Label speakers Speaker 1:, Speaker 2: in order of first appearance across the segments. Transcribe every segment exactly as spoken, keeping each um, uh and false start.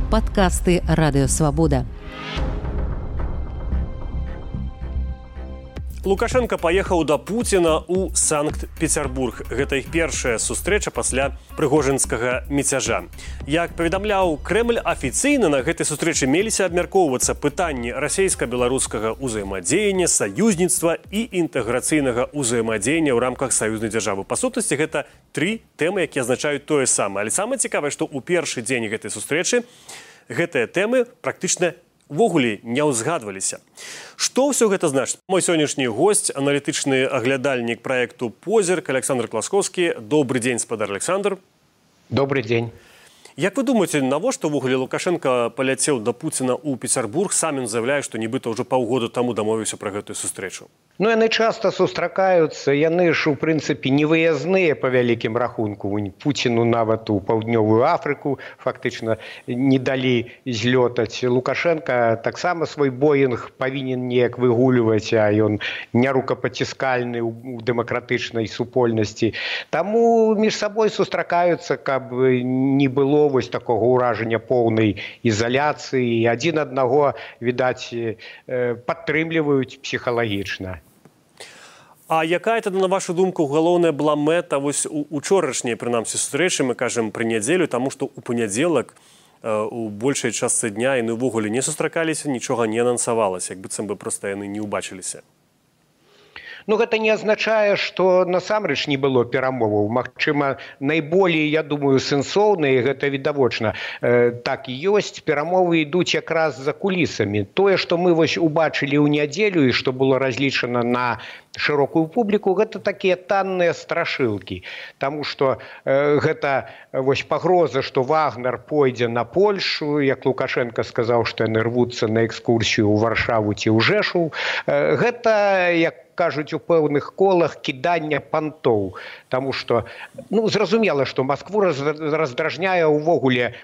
Speaker 1: Падкасты Радыёвабода.
Speaker 2: Лукашенко паехаў да Пуціна ў Санкт-Петербург. Гэта іх першая сустрэча пасля прыгожинскага міцяжа. Як паведамляў Крэмль, афіцыйна на гэтай сустрэчы меліся абмяркоўвацца пытанні расейска-беларускага ўзаемадзеяння, саюзніцтва і інтэграцыйнага ўзаемадзеяння ў рамках саюзнай дзяржавы. Па сутнасці, гэта тры тэмы, якія азначаюць тое самае. Але самае цікавае, што ў першы дзень гэтай сустрэчы гэтыя тэмы практычна увогуле не ўзгадваліся. Што ўсё гэта значыць? Мой сённяшні госць, аналітычны аглядальнік праекту «Позірк» Александр Класковскі. Добрый дзень, спадар Александр.
Speaker 3: Добрый дзень.
Speaker 2: Як вы думаеце, навошта ўвогуле Лукашенко паляцеў да Пуціна ў Петербург? Сам ён заявляе, што нібыта ўжо паўгода таму дамовіўся пра гэтую сустрэчу.
Speaker 3: Ну, яны часта сустракаюцца, яны ж, у прынцыпе, невыязныя па вялікім рахунку. Пуціну нават у Паўднёвую Афрыку фактычна не далі злётаць. Лукашенко таксама свой боінг павінен неяк выгульваць, а ён не рукапаціскальны ў дэмакратычнай супольнасці. Таму між сабой сустракаюцца, каб не было вось такога ўражання поўнай ізаляцыі. Адзін аднаго, відаць, падтрымліваюць псіхалагічна.
Speaker 2: А якая тады, на вашу думку, галоўная была мэта вось у учорашняй, прынамсі, сустрэчы, мы кажам, пры нядзелю, таму што ў панядзелак у большай частцы дня яны ўвогуле не сустракаліся, нічога не анансавалася, як быццам бы проста яны не ўбачыліся.
Speaker 3: Ну, гэта не азначае, што насамрэч не было перамоваў. Магчыма, найболей, я думаю, сэнсоўныя, гэта відавочна. Э, так і ёсць, перамовы ідуць якраз за кулісамі. Тое, што мы вось убачылі ў нядзелю і што было разлічана на шырокую публіку, гэта такія танныя страшылкі. Таму што э, гэта вось пагроза, што Вагнер пойдзе на Польшу, як Лукашенко сказаў, што яны рвуцца на экскурсію ў Варшаву ці ў Жэшу. Э, гэта, як кажуць у пэўных колах, кідання пантоў. Таму што, ну, зразумела, што Маскву раздражняе ўвогуле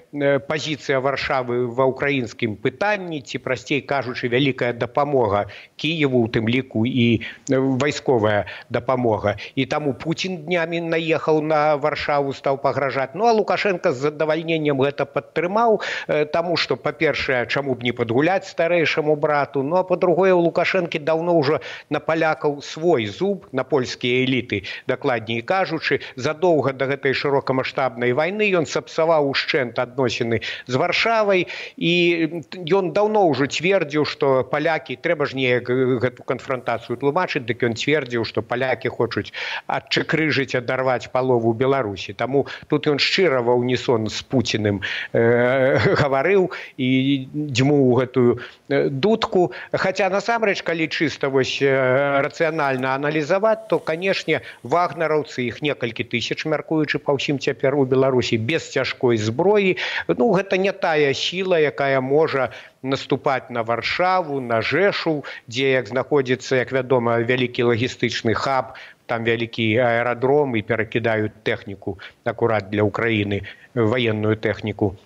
Speaker 3: пазіцыя Варшавы ва ўкраінскім пытанні, ці, прасцей кажучы, вялікая дапамога Кіеву, у тым ліку і вайсковая дапамога. І таму Пуцін днямі наехаў на Варшаву, стаў пагражаць. Ну, а Лукашенко з задавальненнем гэта падтрымаў, таму што, па-першае, чаму б не падгуляць старэйшаму брату, ну, а па-другое, у Лукашэнкі даўно ўжо на палякаў свой зуб, на польскія эліты, дакладней кажучы. Задоўга да гэтай шырокамаштабнай вайны ён сапсаваў ушчэнт адносіны з Варшавай, і ён даўно ўжо цвердзіў, што палякі, трэба ж неяк гэту канфрантацыю тлумачыць, дык ён цвердзіў, што палякі хочуць адчакрыжыць, адарваць палову Беларусі. Таму тут ён шчыра ва ўнісон з Пуціным э, гаварыў і дзьмуў гэтую дудку. Хаця насамрэч, калі чыста вось рацыянальна аналізаваць, то, канешне, вагнераўцы, іх некалькі тысяч, мяркуючы па ўсім цяпер у Беларусі, без цяжкой зброі, ну, гэта не тая сіла, якая можа наступаць на Варшаву, на Жэшу, дзе, як знаходзіцца, як вядома, вялікі лагістычны хаб, там вялікі аэрадром, і перакідаюць тэхніку акурат для Украіны, ваенную тэхніку.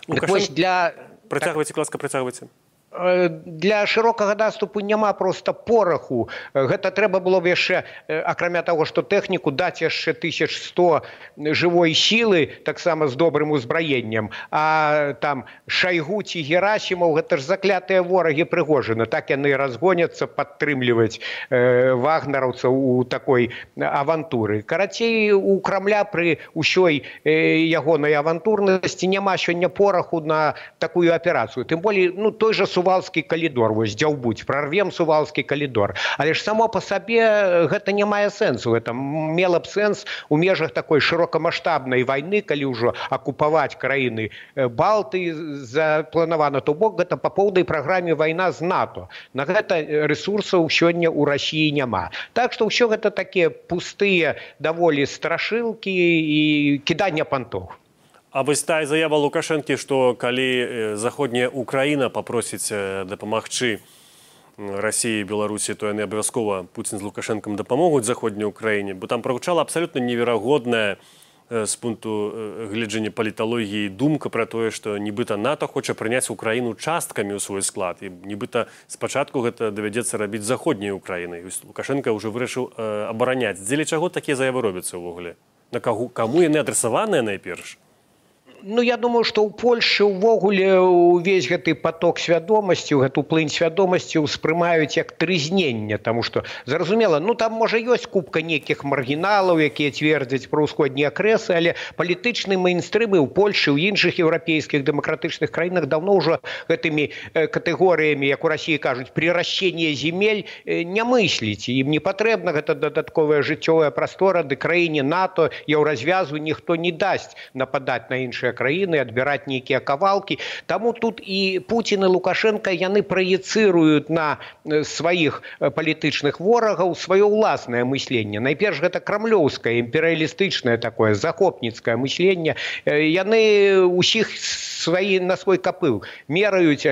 Speaker 2: Лукашенко, для... Працягвайце, ласка, працягвайце.
Speaker 3: Для шырокага наступу няма проста пораху. Гэта трэба было б яшчэ, акрамя таго, што тэхніку, даць яшчэ тысяч сто жывой сілы, таксама з добрым узбраеннем. А там Шайгу ці Герасімаў, гэта ж заклятыя ворагі Прыгожына. Так яны разгоняцца падтрымліваць э, вагнераўцаў у такой авантуры. Карацей, у Крамля пры ўсёй э, ягонай авантурнасці няма сёння пораху на такую аперацыю. Тым болей, ну, той жа Сувалскі калідор, вось дзяўбуць, прарвем Сувалскі калідор. Але ж само па сабе гэта не мае сэнсу. Гэта мела б сэнс у межах такой шырокамаштабнай вайны, калі ўжо акупаваць краіны Балты запланавана, то бок гэта па поўнай праграме вайна з НАТО. На гэта рэсурсаў сёння ў Расіі няма. Так што ўсё гэта такія пустыя даволі страшылкі і кідання пантоў.
Speaker 2: А вось тая заява Лукашэнкі, што калі заходняя Украіна папросіць дапамагчы Расіі і Беларусі, то яны абавязкова, Пуцін з Лукашэнкам, дапамогуць заходняй Украіне, бо там прагучала абсалютна неверагодная з пункту гледжання паліталогіі думка пра тое, што нібыта НАТО хоча прыняць Украіну часткамі ў свой склад, і нібыта спачатку гэта давядзецца рабіць заходняй Украінай. Лукашенко ўжо вырашыў абараняць. Дзеля чаго такія заявы робяцца ўвогуле? На каму яны адрасаваныя найперш?
Speaker 3: Ну, я думаю, што ў Польшы ўвогуле увесь гэты поток свядомасці, гэту плынь свядомасці ўспрымаюць як трызненне, таму што, зразумела, ну, там, можа, ёсць купка нейкіх маргіналаў, якія цвердзяць пра ўсходнія акрэсы, але палітычны мейнстрым і ў Польшы, ў іншых еўрапейскіх дэмакратычных краінах даўно ўжо гэтымі катэгорыямі, як у Расіі кажуць, приращение земель не мысліць. Ім не патрэбна гэта дадатковая жыццёвая прастора, ды краіне НАТО, еўразвязу ніхто не дасць нападаць на іншыя краіны, адбіраць нейкія кавалкі. Таму тут і Путін і Лукашенко, яны праецыруюць на сваіх палітычных ворагаў сваё ўласнае мысленне. Найперш гэта крамлёўскае, імперыялістычнае такое, захопніцкае мысленне. Яны ўсіх сваі, на свой капыл мераюць.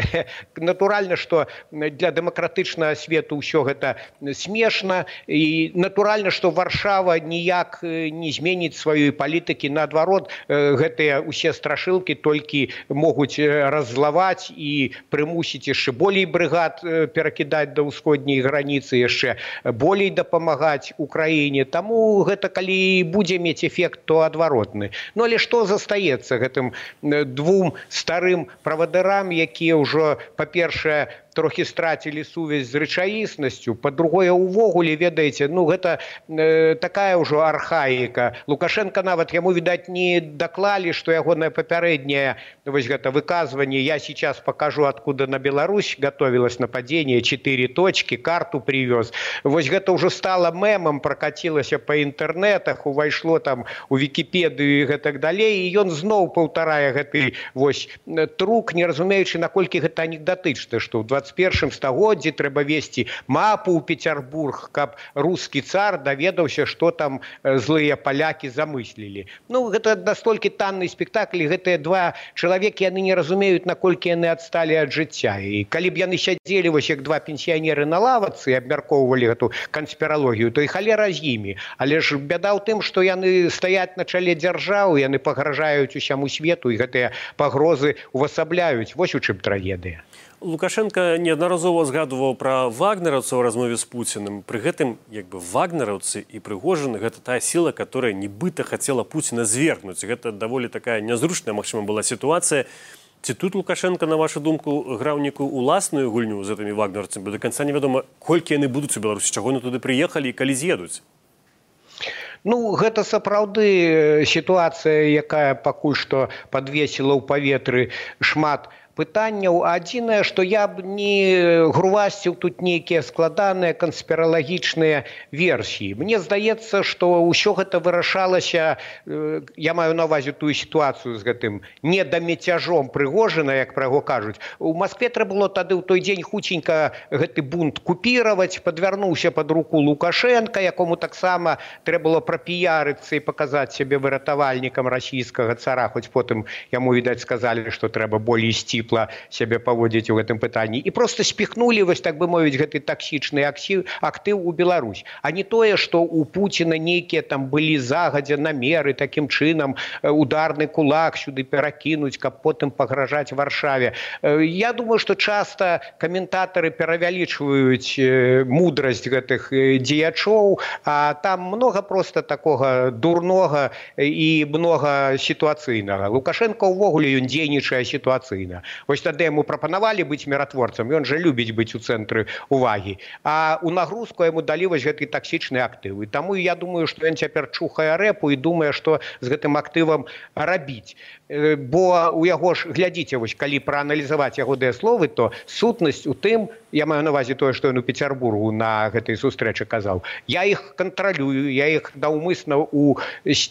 Speaker 3: Натуральна, што для дэмакратычнага свету ўсё гэта смешна. І натуральна, што Варшава ніяк не зменіць сваёй палітыкі. Наадварот, гэтыя ўсе страшылкі толькі могуць раззлаваць і прымусіць яшчэ болей брыгад перакідаць да ўсходняй граніцы, яшчэ болей дапамагаць Украіне. Таму гэта, калі будзе мець эфект, то адваротны. Ну, але што застаецца гэтым двум старым правадырам, якія ўжо, па-першае, трохі страцілі сувязь з рэчаіснасцю, па-другое, увогуле, ведаеце, ну, гэта э, такая ўжо архаіка. Лукашенко нават яму, відаць, не даклалі, што ягонае папярэдняе вось гэта выказванне «Я сейчас покажу, откуда на Беларусь готовилось нападение, четыре точки, карту привез». Вось гэта ўжо стала мемам, пракацілася па інтэрнетах, увайшло там у Вікіпедыю і гэтак далей, і ён зноў паўтарае гэты вось трук, не разумеючы, наколькі гэта анекдатычна, што ў двадцать першым стагоддзі трэба весці мапу ў Петербург, каб рускі цар даведаўся, што там злыя палякі замыслілі. Ну, гэта настолькі танны спектакль, гэтыя два чалавекі, яны не разумеюць, наколькі яны адсталі ад жыцця. І калі б яны сядзелі вось як два пенсіянеры на лавацы і абмяркоўвалі гэту канспіралогію, то і халера з імі. Але ж бяда ў тым, што яны стаяць на чале дзяржаў, яны пагражаюць усяму свету, і гэтыя пагрозы увасабляюць. Вось у чым трагедыя.
Speaker 2: Лукашенко неаднаразова згадуваў пра вагнераўцаў у размове з Пуціным. Пры гэтым, як бы, вагнераўцы і Прыгожин — гэта тая сіла, которая нібыта хацела Пуціна звергнуць. Гэта даволі такая нязручная, магчыма, была сітуацыя. Ці тут Лукашенко, на вашу думку, граў некую уласную гульню з гэтымі вагнераўцамі? До канца невядома, колькі яны будуць у Беларусі, чаго яны туды прыехалі і калі з'едуць?
Speaker 3: Ну, гэта сапраўды сітуацыя, якая пакуль што падвесіла ў паветры шмат пытанняў. Адзінае, што я б не грувасціў тут нейкія складаныя канспіралагічныя версіі. Мне здаецца, што ўсё гэта вырашалася, я маю на ўвазе тую сітуацыю з гэтым недамецяжом Прыгожина, як пра яго кажуць. У Маскве трэба было тады ў той дзень хуценька гэты бунт купіраваць, падвярнуўся пад руку Лукашенка, якому таксама трэба было прапіярыцца і паказаць сябе выратавальнікам расійскага цара, хоць потым яму, відаць, сказалі, што трэба болей ісці сябе паводзіць у гэтым пытанні. І проста спіхнулі, вось так бы мовіць, гэты таксічны актыў у Беларусь. А не тое, што у Пуціна нейкія там былі загадзя намеры такім чынам ударны кулак сюды перакінуць, каб потым пагражаць Варшаве. Я думаю, што часта каментатары перавялічваюць мудрасць гэтых дзеячоў, а там многа проста такога дурнога і многа сітуацыйнага. Лукашенко ўвогуле ён дзейнічае сітуацыйна. Вось тады яму прапанавалі быць міратворцам, ён жа любіць быць у цэнтры ўвагі. А ў нагрузку яму далі вось гэты таксічны актыў. І таму я думаю, што ён цяпер чухае рэпу і думае, што з гэтым актывам рабіць. Бо у яго ж, глядзіце, вось калі прааналізаваць ягоныя словы, то сутнасць у тым, я маю на ўвазе тое, што ён у Петербургу на гэтай сустрэчы казаў. Я іх кантралюю, я іх наўмысна ў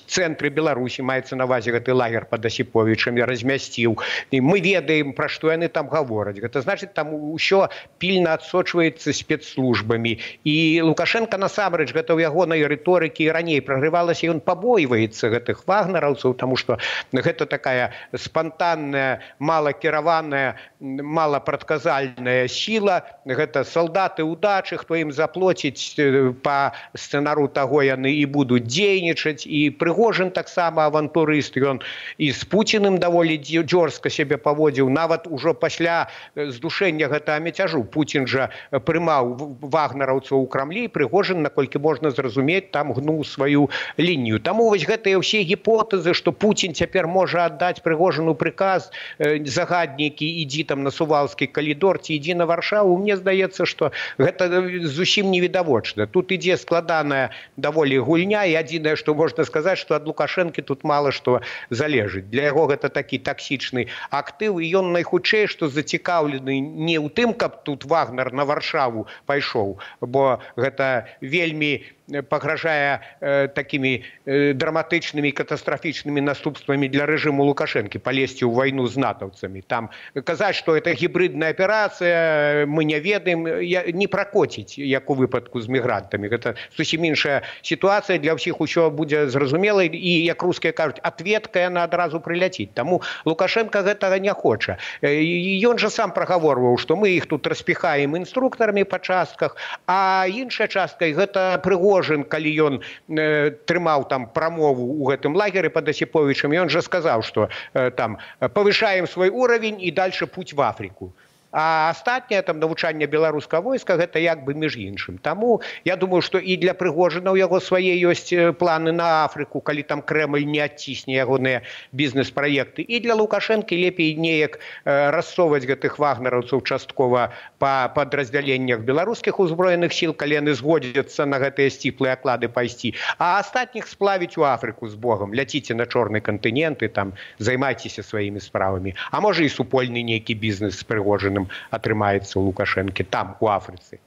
Speaker 3: цэнтры Беларусі, маецца на ўвазе гэты лагер пад Асіповічам, я размясціў. І мы ведаем, пра што яны там гавораць. Гэта значыць, там усё пільна адсочваецца спецслужбамі. І Лукашенко насамрэч, гэта ў ягонай рыторыкі і раней прагрывалася, ён пабойваецца гэтых вагнераўцаў, таму што гэта такая спантанная, малакіраваная, малапрадказальная сіла. Гэта салдаты удачы, хто ім заплоціць па сцэнару таго, яны і будуць дзейнічаць. І Прыгожин таксама авантурыст, ён і з Пуціным даволі дзёрзка сябе паводзіў. нават ужо пасля здушэння гэтага мяцяжу Пуцін жа прымаў вагнераўцаў у Крамлі, Прыгожин, наколькі можна зразумець, там гнуў сваю лінію. Таму вось гэтыя ўсе гіпотэзы, што Пуцін цяпер можа аддаць Прыгожину приказ загаднікі, ідзі там на Сувалскі калідор ці ідзі на Варшаву, мне здаецца, што гэта зусім невідавочна. Тут ідзе складаная даволі гульня, і адзінае, што можна сказаць, што ад Лукашэнкі тут мала што залежыць. Для яго гэта такі таксічны актыў, і ён найхутчэй, што зацікаўлены не ў тым, каб тут Вагнер на Варшаву пайшоў, бо гэта вельмі пагражае э, такімі э, драматычнымі катастрафічнымі наступствамі для рэжыму Лукашэнкі палезці ў вайну з натаўцамі. Там казаць, што это гібридная аперацыя, мы не ведаем, не пракоціць, як у выпадку з мігрантамі. Гэта зусім іншая сітуацыя, для ўсіх усё будзе зразумела, і, як рускія кажуць, ответка яна адразу прыляціць. Таму Лукашенко гэтага не хоча. Ён жа сам прагаворваў, што мы іх тут распіхаем інструктарамі па частках, а іншая частка, і гэта Прыгожин, калі ён э, трымаў там прамову ў гэтым лагеры пад Асіповічам, ён жа сказаў, што э, там павышаем свой уровень і дальше путь в Африку. А астатняе там навучанне беларускага войска гэта як бы між іншым. Таму я думаю, што і для Прыгожина ў яго свае ёсць планы на Афрыку, калі там Крэмль не адцісне ягоныя бізнес-праекты. І для Лукашэнкі лепей неяк э, рассоўваць гэтых вагнераўцаў часткова па падраздзяленнях беларускіх узброеных сіл, калі яны згодзяцца на гэтыя сціплыя аклады пайсці, а астатніх сплавіць у Афрыку з Богам. Ляціце на чорны кантынент і там займайцеся сваімі справамі. А можа і супольны нейкі бізнес з Прыгожиным атрымаецца у Лукашэнкі там, у Афрыцы.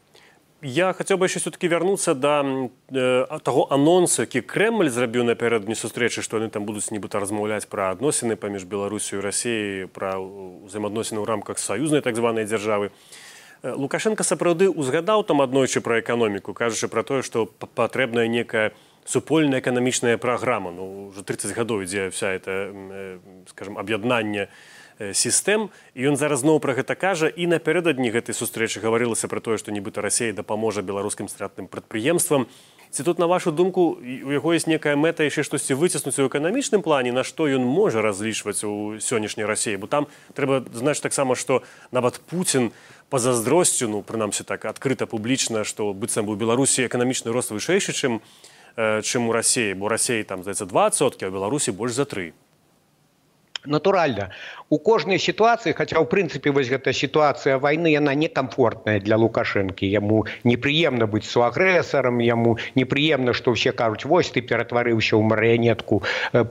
Speaker 2: Я хотел бы еще все-таки вернуться до э, того анонсу, які Кремль зрабіў напярэдадні сустрэчы, што яны там будуць нібыта размаўляць пра адносіны паміж Беларусю і Расіяй, пра ўзаемаадносіны ў рамках саюзнай так званай дзяржавы. Лукашенко сапраўды узгадаў там аднойчы пра эканоміку, кажучы пра тое, што патрэбная некая супольная эканамічная праграма. Ну, уже тридцать гадоў ідзе вся эта, э, скажем, аб'яднанне сістэм, і ён зараз зноў пра гэта кажа, і напярэдадні гэтай сустрэчы гаварылася пра тое, што нібыта Расія дапаможа беларускім стратным прадпрыемствам. Ці тут, на вашу думку, у яго ёсць некая мэта яшчэ штосьці выціснуць у эканамічным плане, на што ён можа разлічваць у сённяшняй Расіі? Бо там трэба знаць таксама, што нават Пуцін пазаздросцю, ну, прынамсі так, адкрыта публічна, што быццам бы у Беларусі эканамічны рост вышэйшы, чым, э, чым у Расіі, бо Расіі там, здаецца, два адсоткі, а ў Беларусі больш за тры.
Speaker 3: Натуральна. У кожнай сітуацыі, хаця ў прынцыпе вось гэта сітуацыя вайны, яна некамфортная для Лукашэнкі. Яму непрыемна быць суагрэсарам, яму непрыемна, што ўсе кажуць, вось ты ператварыўся ў марыянетку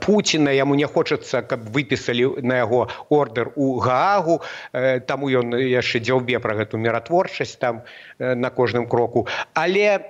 Speaker 3: Пуціна, яму не хочацца, каб выпісалі на яго ордэр у Гаагу, таму ён яшчэ дзяўбе пра гэту міратворчасць там на кожным кроку. Але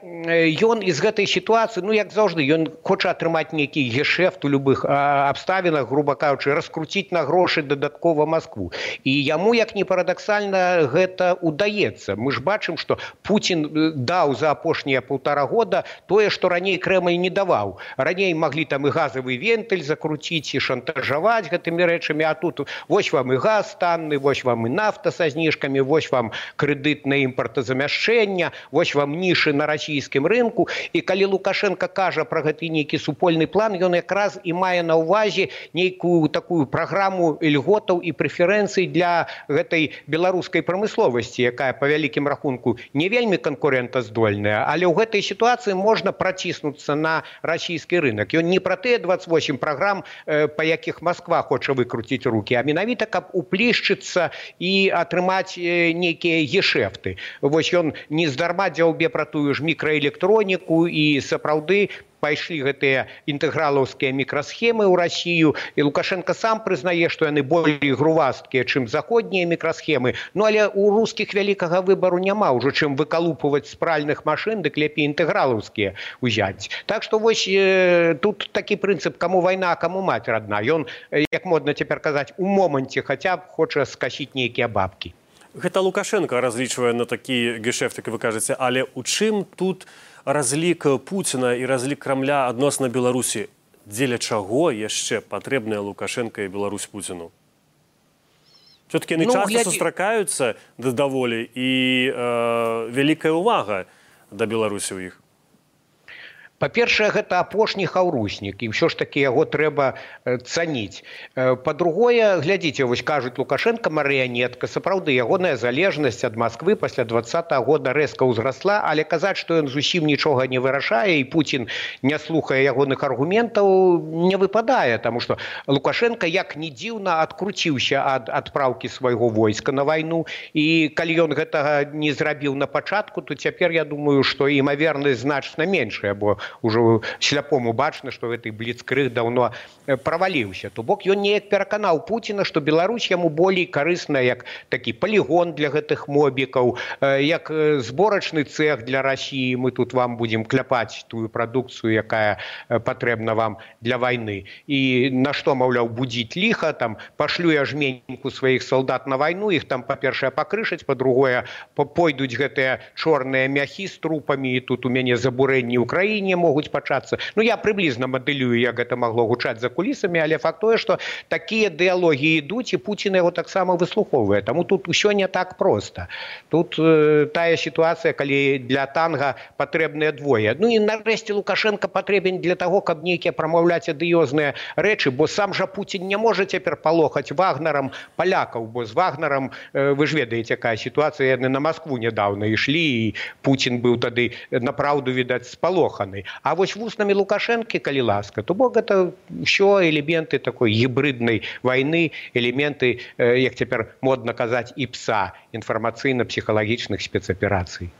Speaker 3: ён з гэтай сітуацыі, ну як заўжды, ён хоча атрымаць нейкі гешэфт у любых абставінах, груба кажучы, раскруціць на грошы дадаткова Маскву. І яму, як не парадаксальна, гэта удаецца. Мы ж бачым, што Пуцін даў за апошнія паўтара года тое, што раней Крэмль не даваў. Раней маглі там і газавы вентыль закруціць, і шантажаваць гэтымі рэчамі, а тут вось вам і газ танны, вось вам і нафта са зніжкамі, вось вам крэдыт на імпартазамяшчэння, вось вам нішы на расійскім рынку. І калі Лукашенко кажа пра гэты нейкі супольны план, ён якраз і мае на ўвазе нейкую такую праграму льготаў і прэферэнцый для гэтай беларускай прамысловасці, якая па вялікім рахунку не вельмі канкурэнтаздольная, але ў гэтай сітуацыі можна праціснуцца на расійскі рынок. Ён не пра тыя двадцать восемь праграм, па якіх Масква хоча выкруціць рукі, а менавіта каб уплішчыцца і атрымаць нейкія гешэфты. Вось ён не здарма дзяўбе пра тую ж мікраэлектроніку, і сапраўды пайшлі гэтыя інтэгралаўскія мікрасхемы ў Расію, і Лукашенко сам прызнае, што яны болей грувасткія, чым заходнія мікрасхемы. Ну, але ў рускіх вялікага выбару няма, ўжо чым выкалупваць з пральных машын, дык лепей інтэгралаўскія ўзяць. Так што вось э, тут такі прынцып, каму вайна, а каму маць радна. Ён, як модна цяпер казаць, у моманце хаця б хоча скасіць нейкія бабкі.
Speaker 2: Гэта Лукашенко разлічвае на такі гешэфт, як вы кажаце, але у чым тут разлік Пуціна і разлік Крамля адносна Беларусі? Дзеля чаго яшчэ патрэбная Лукашенко і Беларусь Пуціну? Все-таки яны ну, часта гляді... сустракаюцца даволі, і э, вялікая ўвага да Беларусі ў іх.
Speaker 3: Па-першае, гэта апошні хаўруснік, і ўсё ж такі яго трэба цаніць. Па-другое, глядзіце, вось кажуць, Лукашенко марыянетка, сапраўды, ягоная залежнасць ад Масквы пасля двадцатага года рэзка ўзрасла, але казаць, што ён зусім нічога не вырашае, і Пуцін не слухае ягоных аргументаў, не выпадае, таму што Лукашенко, як ні дзіўна, адкруціўся ад адпраўкі свайго войска на вайну, і калі ён гэтага не зрабіў на пачатку, то цяпер я думаю, што імавернасць значна меншая, бо ўжо сляпому бачна, што гэты бліцкрыг даўно праваліўся. То бок ён неяк пераканаў Пуціна, што Беларусь яму болей карысна як такі палігон для гэтых мобікаў, як зборачны цэх для Расіі. Мы тут вам будзем кляпаць тую прадукцыю, якая патрэбна вам для вайны. І на што, маўляў, будзіць ліха, там пашлю я жменьку сваіх салдат на вайну, іх там, па-першае, пакрышаць, па-другое, пойдуць гэтыя чорныя мяхі з трупамі, і тут у мяне забурэнні ў краіне могуць пачацца. Ну, я прыблізна мадэлюю, як гэта магло гучаць за кулісамі, але факт тое, што такія дыялогі ідуць, і Пуцін яго таксама выслухоўвае. Таму тут усё не так проста. Тут э, тая сітуацыя, калі для танга патрэбныя двое. Ну і нарэшце Лукашенко патрэбен для таго, каб нейкія прамаўляць адыёзныя рэчы, бо сам жа Пуцін не можа цяпер палохаць Вагнерам палякаў, бо з Вагнерам, э, вы ж ведаеце, якая сітуацыя, яны на Маскву нядаўна ішлі, і Пуцін быў тады направду, відаць, спалоханы. А вось вуснамі Лукашэнкі, калі ласка, то бок гэта ўсё элементы такой гібриднай вайны, элементы, як цяпер модна казаць, іпса, інфармацыйна-псіхалагічных спецаперацый.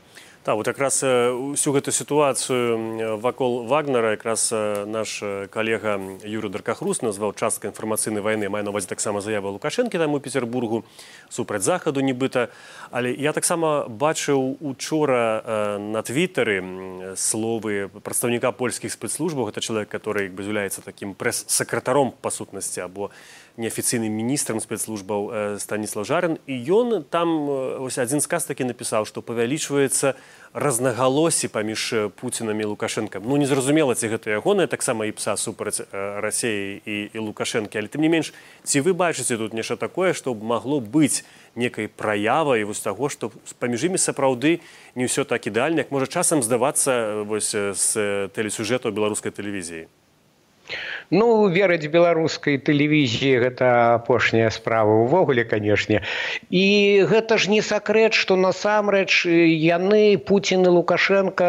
Speaker 2: Так, вот якраз всю гэту сітуацыю вакол Вагнера якраз наш калега Юрый Даркахрус назваў часткай інфармацыйнай вайны, мае на ўвазе таксама заява Лукашэнкі там у Петербургу супраць захаду нібыта. Але я таксама бачыў учора на твиттары словы прадстаўніка польскіх спецслужбаў. Гэта чалавек, который як бы з'яўляецца такім прэс-сакратаром па сутнасці або неафіцыйным міністрам спецслужбаў Станіслав Жарын. І ён там ось адзін сказ такі напісаў, што павялічваецца разнагалоссі паміж Пуцінам і Лукашэнкам. Ну, незразумела, ці гэта ягоная таксама іпса супраць Расіі і, і Лукашэнкі, але тым не менш, ці вы бачыце тут нешта такое, што магло быць некай праявай вось таго, што паміж імі сапраўды не ўсё так ідэальна, як можа часам здавацца вось з тэлесюжэтаў беларускай тэлевізіі?
Speaker 3: Ну, верыць беларускай тэлевізіі гэта апошняя справа ўвогуле, канешне. І гэта ж не сакрэт, што насамрэч яны, Пуцін і Лукашенко,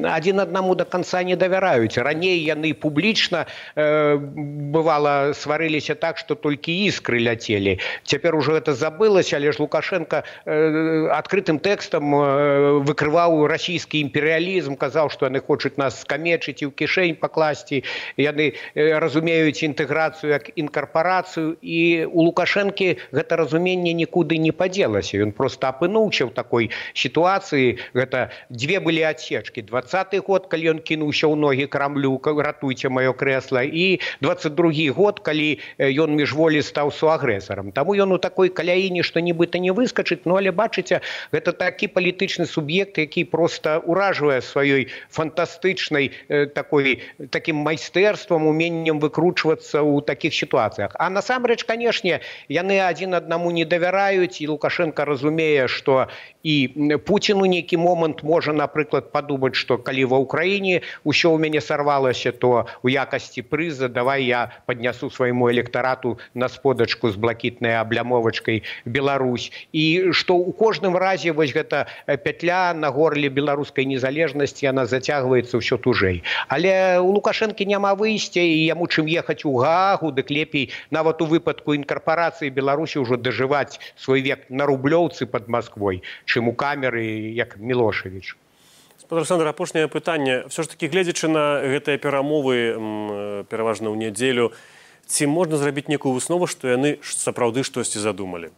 Speaker 3: адзін аднаму да канца не давяраюць. Раней яны публічна, э, бывала, сварыліся так, што толькі іскры ляцелі. Цяпер ужо гэта забылася, але ж Лукашенко э, адкрытым тэкстам э, выкрываў расійскі імперыялізм, казаў, што яны хочуць нас скамечыць і ў кішэнь пакласці. Яны разумеюць інтэграцыю як інкарпарацыю, і у Лукашэнкі гэта разуменне нікуды не падзелася. Ён проста апынуўся ў такой сітуацыі. Гэта дзве былі адсечкі. дваццаты год, калі ён кінуўся ў ногі Крамлю, ратуйце маё крэсла, і дваццаць другі год, калі ён міжволі стаў суагрэсарам. Таму ён у такой каляіне, што нібыта не выскачыць, ну але бачыце, гэта такі палітычны суб'ект, які проста уражвае сваёй фантастычнай такой, такім майстэрствам, уменнем выкручвацца ў такіх сітуацыях. А насамрэч, канешне, яны адзін аднаму не давяраюць, і Лукашенко разумее, што і Пуцін у нейкі момант можа, напрыклад, падумаць, што калі ва ўкраіне ўсё ў мяне сарвалася, то у якасці прыза давай я паднясу свайму электарату на сподачку з блакітнай аблямовачкай Беларусь. І што ў кожным разе вось гэта пятля на горле беларускай незалежнасці, яна зацягваецца ўсё тужэй. Але у Лукашэнкі няма выйсця, і яму чым ехаць у Гаагу, дык лепей нават у выпадку інкарпарацыі Беларусі ўжо дажываць свой век на Рублёўцы пад Масквой, чым у камеры, як Мілошевіч.
Speaker 2: Спадар Александр, апошняе пытанне. Все ж таки, гледзячы на гэтыя перамовы, пераважна ў нядзелю, ці можна зрабіць некую выснову, што яны сапраўды штосьці задумалі?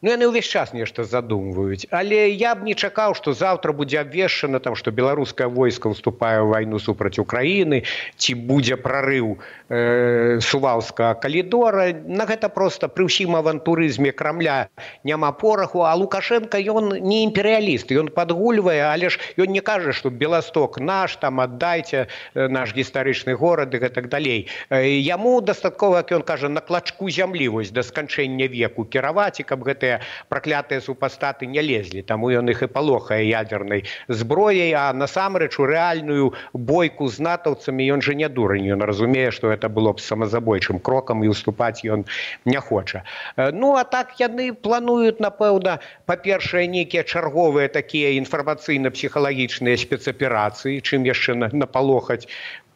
Speaker 3: Ну, яны ўвесь час нешта задумваюць. Але я б не чакаў, што заўтра будзе абвешчана, там, што беларускае войска ўступае ў вайну супраць Украіны, ці будзе прарыў э, Сувалскага калідора. На гэта проста пры ўсім авантурызме Крамля няма пораху, а Лукашенко, ён не імперыяліст, ён падгульвае, але ж ён не кажа, што Беласток наш, там аддайце наш гістарычны горад і гэтак далей. Яму дастаткова, як ён кажа, на клачку зямлі вось да сканчэння веку кіраваць, і каб гэтыя гэтыя праклятыя супастаты не лезлі, таму ён іх і палохае ядернай зброяй, а насамрэч у рэальную бойку з натаўцамі ён жа не дурань, ён разумее, што гэта было б самазабойчым крокам і уступаць ён не хоча. Ну, а так яны плануюць, напэўна, па-першае, нейкія чарговыя такія інфармацыйна-псіхалагічныя спецаперацыі, чым яшчэ напалохаць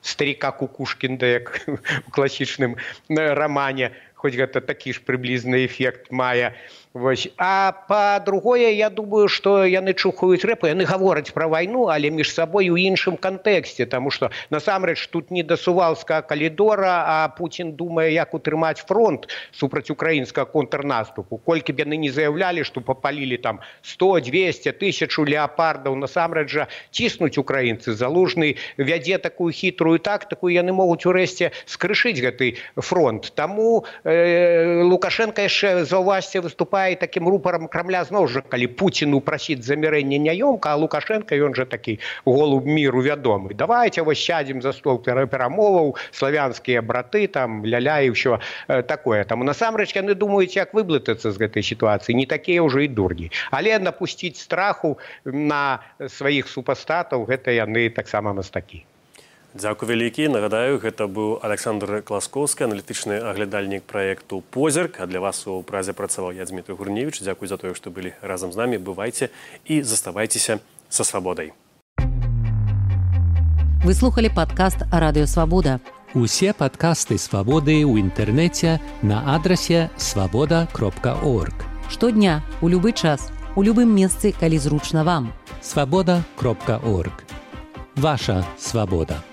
Speaker 3: старика Кукушкінда, як у класічным рамане, хоць гэта такі ж прыблізны эфект мае. Вось. А па-другое, я думаю, што яны чухаюць рэпы, яны гавораць пра вайну, але між сабой у іншым кантэксце, таму што насамрэч тут не да Сувалскага калідора, а Пуцін думае, як утрымаць фронт супраць украінскага контрнаступу. Колькі б яны не заяўлялі, што папалілі там сто, дзвесце, тысячу леапардаў, насамрэч жа ціснуць украінцы. Залужны вядзе такую хітрую тактыку, яны могуць урэшце скрышыць гэты фронт. Таму э, Лукашенко яшчэ, заўважце, выступае і такім рупарам Крамля зноў жа, калі Пуціну прасіць замірэння няёмка, а Лукашенко, ён жа такі голуб міру вядомы. Давайте вось сядзем за стол перамоваў, славянскія браты, там, ля-ля і ўсё такое. Таму насамрэч яны думаюць, як выблытацца з гэтай сітуацыі. Не такія ўжо і дурні. Але напусціць страху на сваіх супастатаў, гэта яны таксама мастакі.
Speaker 2: Дзякуй вялікі. Нагадаю, гэта быў Александр Класкоўскі, аналітычны аглядальнік праекту «Позірк». А для вас у празе працаваў я, Дмітрий Гурневич. Дзякуй за тое, што былі разам з намі. Бывайце і заставайцеся са свабодай.
Speaker 1: Вы слухали падкаст «Радыё Свабода».
Speaker 4: Усе падкасты «Свабоды» ў інтэрнэце на адрасе свабода кропка орг.
Speaker 1: Штодня, у любы час, у любым месцы, калі зручна вам.
Speaker 4: свабода кропка орг. Ваша свабода.